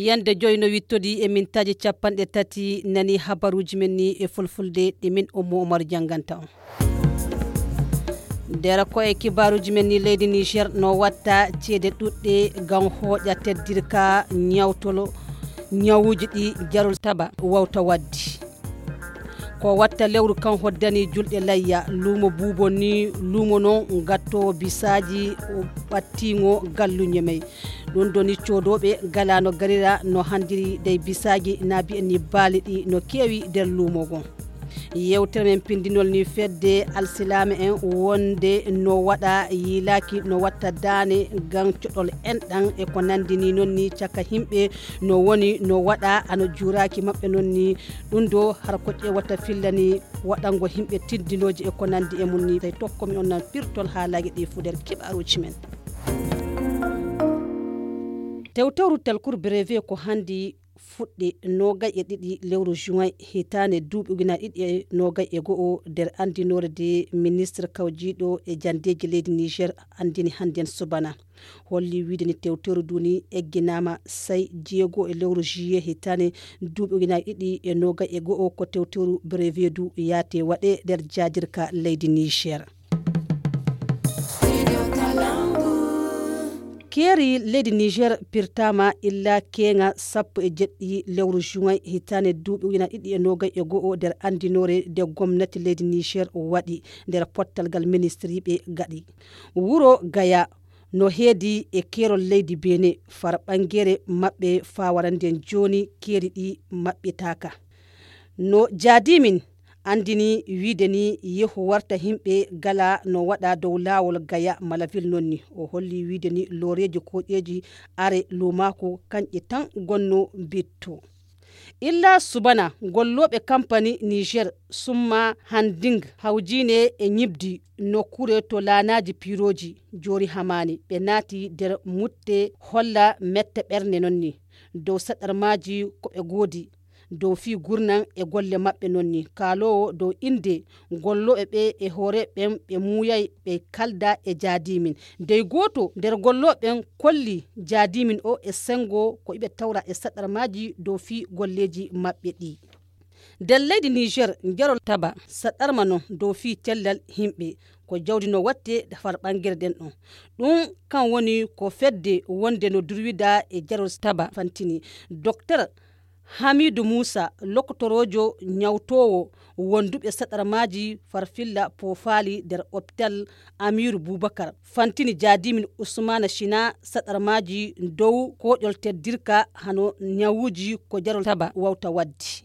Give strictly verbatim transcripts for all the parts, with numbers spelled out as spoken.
Yande joyi no wittodi e mintaaji capanɗe tati nani habaruuji men ni e fulfulde ɗi min Ummu Umar jannganta on. Nder ko e kibaaruuji men ni, leydi Niger no watta ceede ɗuɗɗe ngam hooƴa teddirka ñawtolo ñawuuji ɗi jarol taba wawta waddi. Ko watta lewru kan hoddani julɗe layya, luumo buubo ni, luumo non gatto bisaaji ɓattiŋo galluñe may. Ɗum doni coodooɓe gala no garira no handiri dey bisaaji na bi'en ni baali ɗi no keewi nder luumo ngon. Yewtere men pindinol ni fedde alsilaame en wonde no waɗa yiilaaki no watta daane ngam coɗol en ɗan e ko nandi ni non ni caka himɓe no woni no waɗa ano juuraaki maɓɓe non ni. Ɗum do har ko ƴeewata fillani waɗango himɓe tindinooji e ko nandi e mum ni. Tawi tokkomi on nan pirtol haalaaji ɗi fu nder kibaaruuji men. Tewtewru telkur brevet ko handi fuɗɗi nogay e ɗiɗi lewru juin hitaande duuɓi ujunaaji ɗiɗi e nogay e go'o nder anndinoore de ministre kawjiiɗo e janndeeji leydi Niger anndini hannden subana. Holli wiide ni tewteru du ni egginaama say jeego e lewru juillet hitaande duuɓi ujunaaji ɗiɗi e nogay e go'o ko tewteru brevet du yaate waɗe nder jaadirka leydi Niger. Keeri leydi Niger pirtaama illa keeŋa sappo e jeɗɗi lewru juin hitaande duuɓi ujunaaji ɗiɗi e nogay e go'o nder anndinoore de gomnati leydi Niger waɗi nder pottal ngal ministiriiɓe gaɗi. Wuro Gaya no heedi e keerol leydi Benin, far ɓangere maɓɓe faa warande jooni keeri ɗi maɓɓitaaka. No jaadimin anndini wiide ni yehu warta himɓe gala no waɗa dow laawol Gaya Malaville non ni. O holli wiide ni looreeji koƴeeji are luumaaku kanƴe tan gonno bitto. Illa subana gollooɓe kampani Niger summa handing hawjiine e ñibdi nokkure to laanaaji piirooji joori hamaani. Ɓe naati nder mutte holla mette ɓernde non ni. Dow saɗarmaaji ko ɓe goodi. Dow fii gurnan e golle maɓɓe non ni. Kaaloowo dow innde gollooɓe ɓe e hoore ɓen ɓe muuyay ɓe kalda e jaadimin. Dey gooto nder gollooɓe ɓen kolli jaadimin o e senngo ko iɓe tawra e saɗarmaaji dow fii golleeji maɓɓe ɗi. Nder leydi Niger, njarol taba saɗarma non dow fii cellal himɓe. Ko jawdi no watte far ɓangere ɗen ɗon. Ɗum kan woni ko fedde wonde no durwida e jarol taba fantini. Doktor Hamidu Musa, lokotorojo ñawtoowo wonduɓe saɗarmaaji farfilla poofaali nder opital Amiru Bubakar, fantini jaadimin Usmana Shina saɗarmaaji dow koƴol teddirka hano ñawuuji ko jarol taba wawta waddi.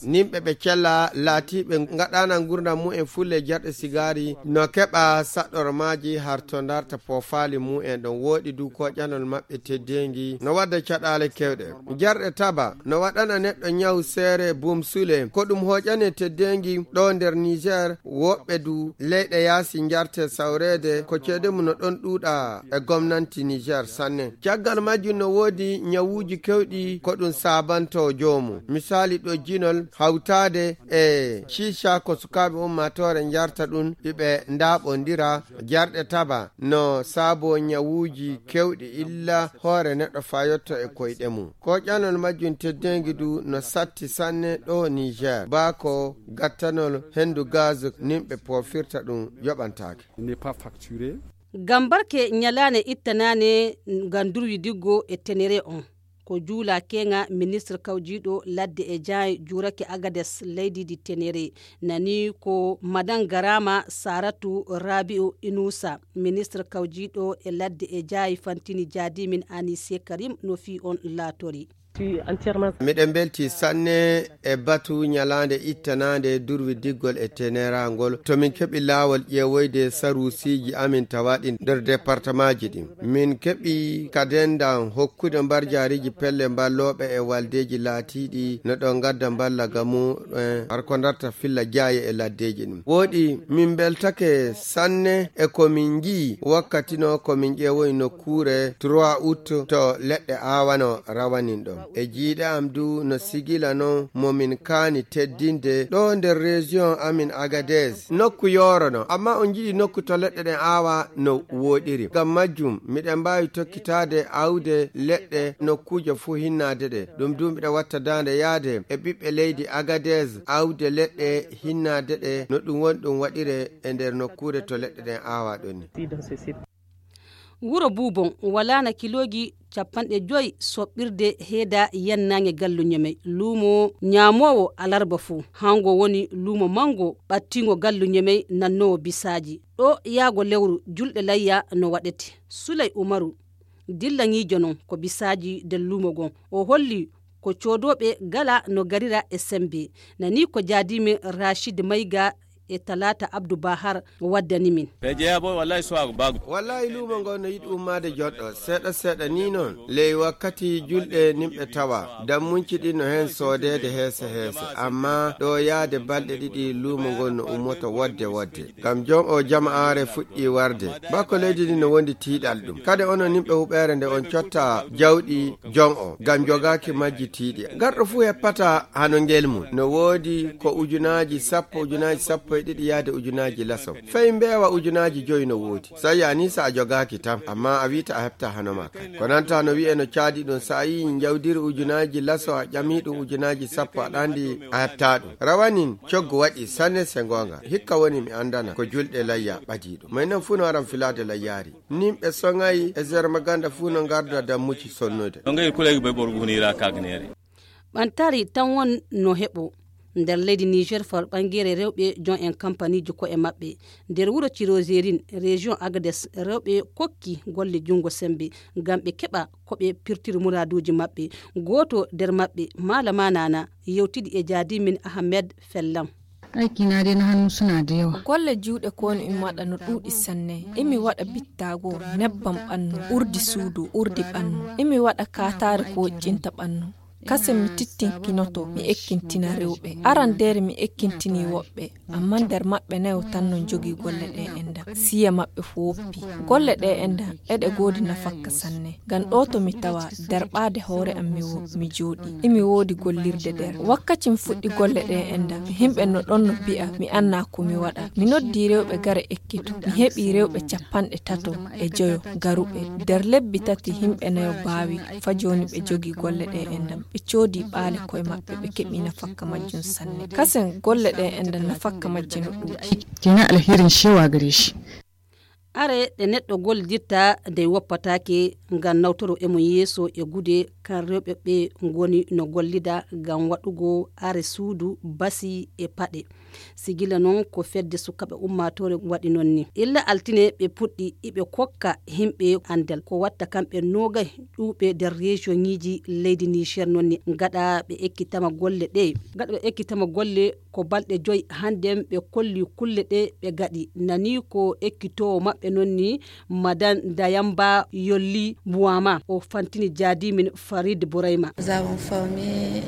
Nimɓe ɓe cella laatiiɓe ngaɗaana ngurndan mumen fulle jarɗe sigaari no keɓa saɗɗormaaji har to ndarta poofaali mumen ɗon wooɗi du koƴanol maɓɓe teddeengi no wadda caɗaale kewɗe. Jarɗe taba no waɗana neɗɗo ñaw seere bumsule ko ɗum hoƴane teddeengi ɗo nder Niger. Woɓɓe du leyɗe yaasi njarte sawreede ko ceede mum no ɗon ɗuuɗa e gomnanti Niger sanne. Caggal majjum no woodi ñawuuji kewɗi ko ɗum saabanto joomum. Misaali ɗojjinol hawtaade e ciica ko sukaaɓe ummaatoore njarta ɗum iɓe ndaaɓondira. Jarɗe taba no saabo ñawuuji kewɗi illa hoore neɗɗo fayotto e koyɗe mum. Koƴanol majjum teddeengi du no satti sanne ɗo Niger. Baa ko gattanol henndu gaz nimɓe poofirta ɗum yoɓantaake. Gambarke ñalaane ittanaane ngam durwi diggo e tenere on. Ko juula keŋa ministre kawjiiɗo ladde e jaayi juurake Agades leydi di tenere. Nani ko madan Garama Saratu Rabi'u Inusa, ministre kawjiiɗo e ladde e jaayi fantini jaadimin Anise Karim no fii on laatori. Miɗen mbelti sanne e batu ñalaande ittanaande durwi diggol e tenerangol. To min keɓi laawol ƴeewoyde saruusiiji amin tawaaɗi nder departamaaji ɗin. Min keɓi kadendan hokkude mbarjaariiji pelle mballooɓe e waldeeji laatiiɗi no ɗon ngadda mballa ga mumen har ko ndarta filla jaaye e laddeeji ɗin. Wooɗi min mbeltake sanne e ko min nji'i wakkati no ko min ƴeewoyi nokkuure trois août to leɗɗe aawano rawanin ɗon. E jiiɗe am du no sigila non mo min kaani teddinde ɗo nder région amin Agadez. Nokku yooro non, amma on njiɗi nokku to leɗɗe ɗen aawa no wooɗiri. Ngam majjum, miɗen mbaawi tokkitaade aawde leɗɗe nokkuuje fuu hinnaade ɗe. Ɗum du miɗen watta daande yaade e ɓiɓɓe leydi Agadez aawde leɗɗe hinnaade ɗe no ɗum woni ɗum waɗire e nder nokkuure to leɗɗe ɗen aawa ɗon ni. Wuro Buubon walaana kilooji capanɗe joy soɓɓirde heeda yannaange gallu Ñemey. Luumo ñaamoowo alarba fuu, hango woni luumo manngo ɓattiingo gallu Ñemey nannoowo bisaaji. Ɗo yaago lewru julɗe layya no waɗete. Suley Umaru, dillaŋiijo non ko bisaaji nder luumo ngon. O holli ko coodooɓe gala no garira e semmbe. Nani ko jaadiimin Racid Mayga e Talaata Abdu Bahar waddani min. Ɓe jeyaa boy, wallahi, suwaago baago. Wallahi, luumo ngo no yiɗi ummaade joɗɗo. Seeɗa seeɗa ni non. Ley wakkati julɗe nimɓe tawa. Dammunci ɗin no heen soodeede heese heese. Amma ɗo yaade balɗe ɗiɗi, luumo ngon no ummoto wodde wodde. Ngam jon o jama'aare fuɗɗi warde. Bako leydi ndi no wondi tiiɗal ɗum. Kade onon nimɓe huɓeere nde on cotta jawɗi jon o. Ngam jogaaki majji tiiɗi. Garɗo fuu heppata hano ngel mum. No woodi ko ujunaaji sappo, ujunaaji sappo e ɗiɗi yaade ujunaaji laso. Fey mbeewa ujunaaji joyi no woodi. Sa yani sa a jogaaki tan, amma a wiita a heɓta hano ma kan. Ko nanta no wi'e no caadi ɗum, sa a yi'i njawdiri ujunaaji laso a ƴami ɗum ujunaaji sappo aɗa andi a heɓta ɗum. Rawanin coggu waɗi sanne se ngoonga. Hikka woni mi andana ko julɗe layya ɓadii ɗum. May nan fuu no aran filaade layyaari. Nimɓe soŋay e Zermaganda fuu no ngarda dammuci sonnude. No ngayi kuleegi be borgu hunira kagnere. Ɓantari tan won no heɓo nder leydi Niger fawr ɓangere rewɓe jon en kampaniiji ko'e maɓɓe. Nder wuro Cirozerin, région Agades, rewɓe kokki golle junngo semmbe ngam ɓe keɓa ko ɓe pirtiri muraaduuji maɓɓe. Gooto nder maɓɓe, Malama Nana, yewtidi e jaadimin Ahmed Fellam. Aiki na dai na hannu suna da yawa. Golle juuɗe ko woni mi waɗa no ɗuuɗi sanne. Imi waɗa bittaago, nebbam ɓannu, urdi suudu, urdi ɓannu. Imi waɗa kaataare ko woƴƴinta ɓannu. Kase mi tittinkinoto, mi ekkintina rewɓe. Arandeere mi ekkintini woɓɓe, amma nder maɓɓe nayo tan no jogii golle ɗe enda. Siya maɓɓe fu woppi. Golle ɗe enda, eɗe goodi nafakka sanne. Ngam ɗo to mi tawa, derɓaade hoore am mi wo-, mi jooɗi. Imi woodi gollirde nder. Wakkaci mi fuɗɗi golle ɗe enda, himɓe no ɗon no mbi'a, mi anna ko mi waɗa. Mi noddi rewɓe gare ekkito. Mi heɓi rewɓe capanɗe tato e joyo garuɓe. Nder lebbi tati himɓe nayo baawi, fa jooni ɓe jogi golle ɗe enda. Ɓe coodi ɓaale koye maɓɓe, ɓe keɓi nafakka majjum sanne. Kasen golle ɗe enda nafakka majje no ɗuuɗi. Kenan alherin shewa gare shi. Are ɗe neɗɗo gollidirta nde woppataake ngam nawtoro e mum yeeso e gude kan rewɓe ɓe ngoni no gollida ngam waɗugo are suudu, basi e paɗe. Sigila noon ko fedde sukaaɓe ummaatoore waɗi noon ni. Illa altine ɓe puɗɗi iɓe kokka himɓe anndal. Ko watta kamɓe noogay ɗuuɓe nder région ŋiiji leydi Niger noon ni. Gaɗa ɓe ekkitama golle ɗe. Gaɗa ɓe ekkitama golle ko balɗe joy hannden ɓe kolli kulle ɗe ɓe gaɗi. Nani ko ekkitoowo maɓɓe noon ni, Madan Dayamba Yolli Buwama. O fantini jaadimin Farid Burayma. Nous avons formé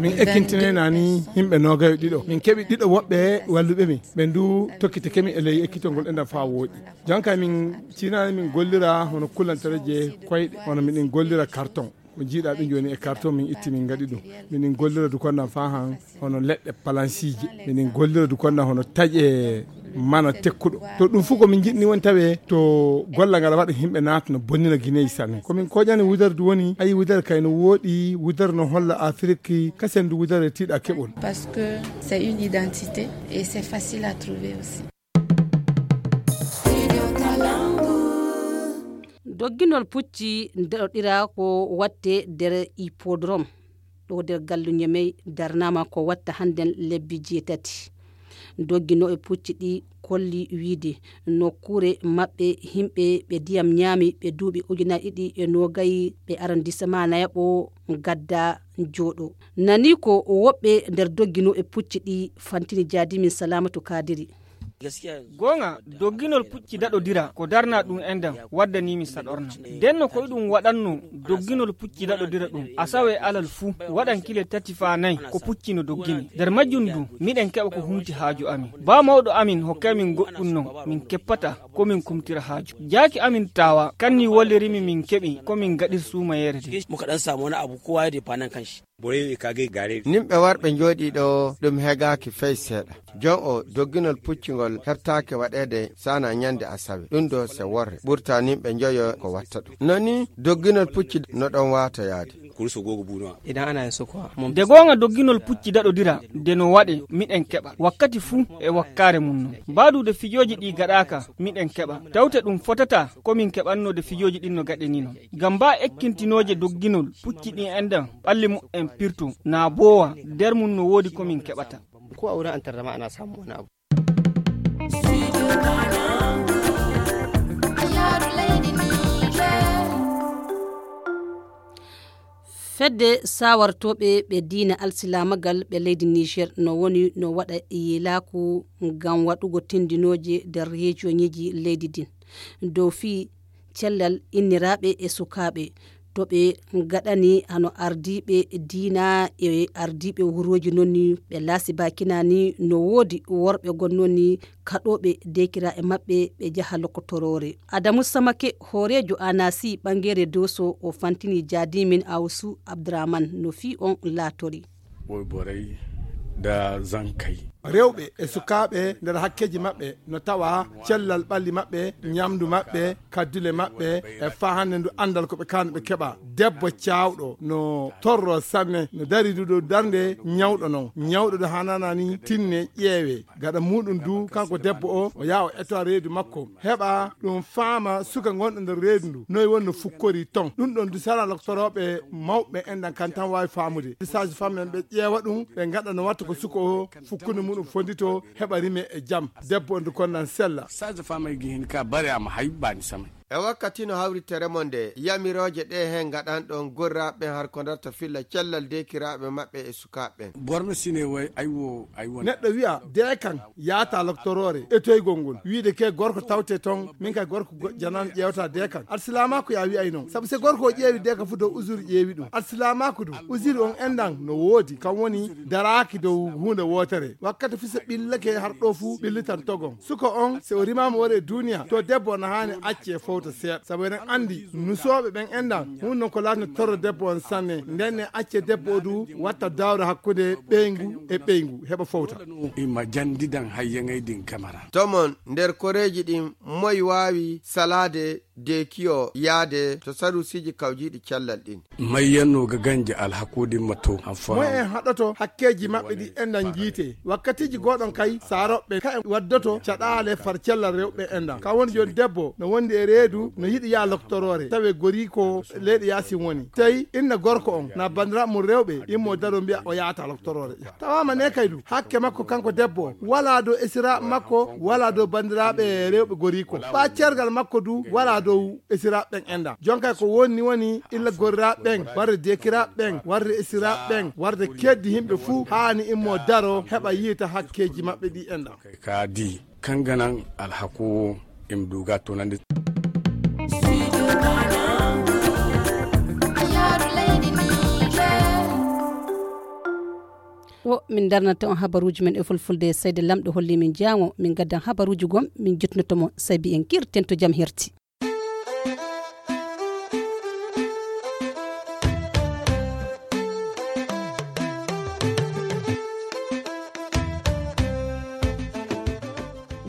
min ekkintini nani yimɓe noogayo ɗiɗo. Min keɓi ɗiɗo woɓɓe walluɓe min. Ɓe ndu tokkitike min e ley ekkitol ngol enɗam faa wooɗi. Jonka min cinani min gollira hono kulantareje koyɗe, hono miɗen gollira carton. Ko jiiɗa ɓe joni e carton min itti min ngaɗi ɗum. Miɗen gollira du konnan faa han hono leɗɗe palansiije. Miɗen gollira du konnan hono taƴe mana tekkuɗo. To ɗum fof ko min jiɗni woni tawe to golla ngal waɗa yimɓe naata no bonnina Guinée sanne. Ko min koƴani wudere du woni, ayi wudere kay no wooɗi, wudere no holla Afiriki, kasen du wudere tiiɗa keɓol. Parce que c'est une identité et c'est facile à trouver aussi. Dogginol pucci ndeɗoɗira ko watte nder hippodrome. Ɗo nder gallu Ñemey darnama ko watta hannden lebbi jeetati. Dogginooɓe pucci ɗi kolli wiide nokkuure maɓɓe yimɓe ɓe ndiyam ñaami ɓe duuɓi ujunaaji ɗiɗi e noogay ɓe arrondissement nayaɓo gadda jooɗo. Nani ko woɓɓe nder dogginooɓe pucci ɗi fantini jaadimin Salamatu Kadiri. Goonga, dogginol pucci daɗodira ko darna ɗum enɗam waddanii mi saɗorna. Nden no ko iɗum waɗanno dogginol pucci daɗodira ɗum, asawe e alal fuu waɗan kile tati faa nay ko pucci no doggini. Nder majjum du, miɗen keɓa ko humti haaju amin. Baa mawɗo amin hokkay min goɗɗum non, min keppata ko min kumtira haaju. Jaaki amin taawa, kanni wallirimi min keɓi ko min gaɗir suumayeere de. Muka ɗan samu wani abu kowa ya defa nan kanshi. Boye e kage gare. Nimɓe warɓe njooɗii ɗo ɗum hegaaki fey seeɗa. Jon o dogginol puccingol hertaake waɗeede sana ñande asawe. Ɗum ɗo se worre. Ɓurta nimɓe njoyo ko watta ɗum. Noni dogginol pucci no ɗon waata yaade. Kurso gogo buno. Idan ana yin sukuwa. De goonga dogginol pucci daɗodira de no waɗe miɗen keɓa. Wakkati fuu e wakkaare mum non. Mbaadude fijooji ɗi gaɗaaka miɗen keɓa. Tawte ɗum fotata ko min keɓanno de fijooji ɗin no gaɗe ni non. Ngam mbaa ekkintinooje dogginol pucci ɗin enɗam ɓalli mu'en pirto, naa boowa, nder mum no woodi ko min keɓata. Ko a wurin antar da ma'ana samu wani abu. Fedde sawartooɓe ɓe diina alsilaamagal ɓe leydi Niger no woni no waɗa yelaaku ngam waɗugo tindinooje nder rejiyoŋeeji leydi din. Dow fii cellal inniraaɓe e sukaaɓe. To ɓe gaɗani hano ardiiɓe diina e ardiiɓe wurooji non ni ɓe laasi baakinaani no woodi worɓe gon non ni kaɗooɓe deekiraaɓe maɓɓe ɓe jaha lokotoroore. Adamu Samake, hooreejo Anasi ɓangeere Dooso, o fantini jaadiimin Awsu Abdurahman no fii on laatori. Woy boray da zankay. Rewɓe e sukaaɓe nder hakkeeji maɓɓe no tawa cellal ɓalli maɓɓe, ñamdu maɓɓe, kaddule maɓɓe, e faa hannde ndu anndal ko ɓe kaani ɓe keɓa. Debbo caawɗo no torro sanne, no dari ndu ɗo darnde ñawɗo non. Ñawɗo ɗo hanana ni tinne ƴeewe. Gaɗa muɗum du kanko debbo o, o yaha o etowa reedu makko. Heɓa ɗum faama suka gonɗo nder reedu ndu. Noy woni no fukkori ton. Ɗum ɗon du sara loktorooɓe mawɓe en ɗan kan tan waawi faamude. Sage femme en ɓe ƴeewa ɗum, ɓe gaɗa no watta ko suka o fukkunde muɗum fondito, heɓa rime e jam. Debbo on du kon nan sella. Sage femme ay gi hin ka bare am hay bani samay. E wakkati no hawritere mon nde, yamirooje ɗe heen ngaɗanɗon gorraaɓe ɓen har ko darta filla cellal deekiraaɓe maɓɓe e sukaaɓe ɓen. Borno sine way ay wo, ay wo. Neɗɗo wi'a, de kan yaata loktoroore, e toygol ngol. Wiide ke gorko tawte ton, min kay gorko go-, janan ƴeewta de kan. Alsilaamaaku ya wi'ay non. Sabu se gorko o ƴeewi de ka fu dow uzuri ƴeewi ɗum. Alsilaamaaku du, uzuri on enɗan no woodi, kan woni daraaki dow huunde wootere. Wakkati fu se ɓillake har ɗo fu ɓillitan togon. Suka on, se o rimaama wari e duuniya, to debbo na haani acce fowta seeɗa. Sabu eɗen anndi, nusooɓe ɓen enɗan, hun non ko laatno torro debbo on sanne. Nden ne acce debbo o du watta dawro hakkunde ɓeyngu e ɓeyngu, heɓa fowta. Ima jandidan hayyaŋay din kamara. Tomon, nder koreeji ɗin, moy waawi salaade de kiyo yaade to sarusiiji kawjiiɗi cellal ɗin? Mayyanno ga ganje alhakoodin matto. Moy en haɗoto hakkeeji maɓɓe ɗi enɗan jiite? Wakkatiiji gooɗon kay, saaroɓe kay waddoto caɗaale far cellal rewɓe enɗan. Ka woni jooni debbo no wondi e reedu, no yiɗi yaa loktoroore. Tawe goriiko leyɗe yaasin woni. Tawi inna gorko on, na bandira mum rewɓe, immo daro mbiya o yaata loktoroore. Tawaama ne kay du, hakke makko kanko debbo, wala dow esiraaɓe makko, wala dow bandiraaɓe rewɓe goriiko. Ɓa cergal makko du, wala dow esiraaɓe ɓen enɗan. Jonkay ko woni woni illa gorraaɓe ɓen, warde dekiraaɓe ɓen, warde esiraaɓe ɓen, warde keddi yimɓe fuu haani immo daro heɓa yiita hakkeeji maɓɓe ɗi enɗan. Ka di, kanganan alhako im duga tonande. O, min darnata on habaruuji men e fulfulde, seyde lamɗo holli min jaango, min gaddan habaruuji gom, min jotnoto mo, sabi en kirten to jam herti.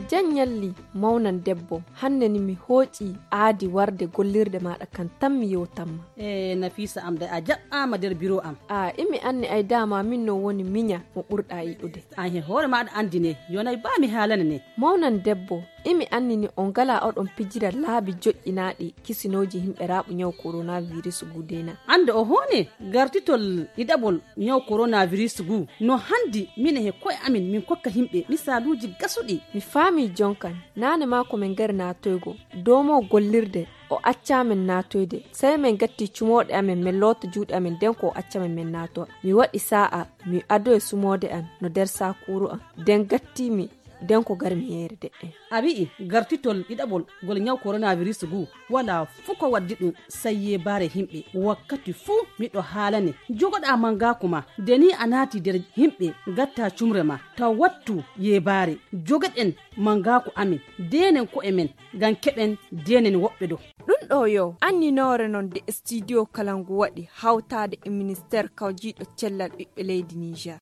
Jan ñalli, mawnan debbo, hannde ni mi hooƴi aadi warde gollirde maaɗa kan tan mi yewtanma. E Nafiisa am de, a jaɓɓaama nder biro am. A imi anni ay dama min no woni miña mo ɓurɗa yiɗude. An he hoore maaɗa anndi ne, yonay ba mi haalane ne. Mawnan debbo, imi anni ni on ngala oɗon pijira laabi joƴƴinaaɗi kisinooji yimɓe raaɓu ñaw coronavirus gudena. Annde o hoone gartitol ɗiɗaɓol ñaw coronavirus gu no hanndi mine he koye amin min kokka yimɓe misaaluuji gasuɗi. Mi faami jonkan, naane maa ko min ngari naatoygo, doomo gollirde o accaa min naatoyde. Sey min gatti cumooɗe amin, min loota juuɗe amin, nden ko o acca min min naatowa. Mi waɗi saa'a, mi adoyi sumoode an no nder saakuuru an. Nden gatti mi Den ko garmi yeere deɗɗen. A wi'i gartitol ɗiɗaɓol ngol ñaw koronavirus ngu, walaa fuu ko waddi ɗum, sey yeebaare yimɓe. Wakkati fuu miɗo haalane, jogoɗaa mangaaku ma, de ni a naati nder yimɓe, ngattaa cumre ma, taw wattu yeebaare. Jogoɗen mangaaku amin, deenen ko'e men, ngam keɓen deenen woɓɓe ɗo. Ɗum ɗo yo anninoore non de studio kala ngu waɗi hawtaade e ministeer kawjiiɗo cellal ɓiɓɓe leydi Niger.